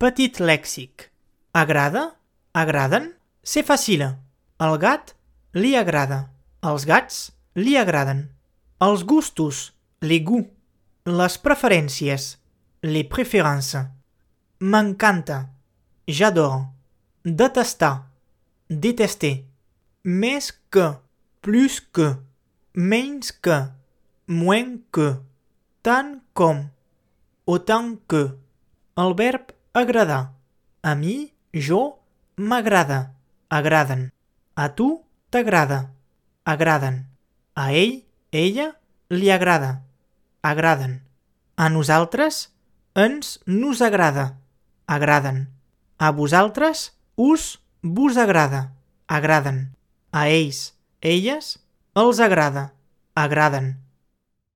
Petit lèxic. Agrada? Agraden? C'est facile. El gat li agrada. Els gats li agraden. Els gustos, les goûts. Les preferències, les préférences. M'encanta. J'adore. Detestar. Détester. Més que. Plus que. Menys que. Moins que. Tant com. Autant que. El verb agradar. A mi, jo, m'agrada. Agraden. A tu, t'agrada. Agraden. A ell, ella, li agrada. Agraden. A nosaltres, nos agrada. Agraden. A vosaltres, vos agrada. Agraden. A ells, elles, els agrada. Agraden.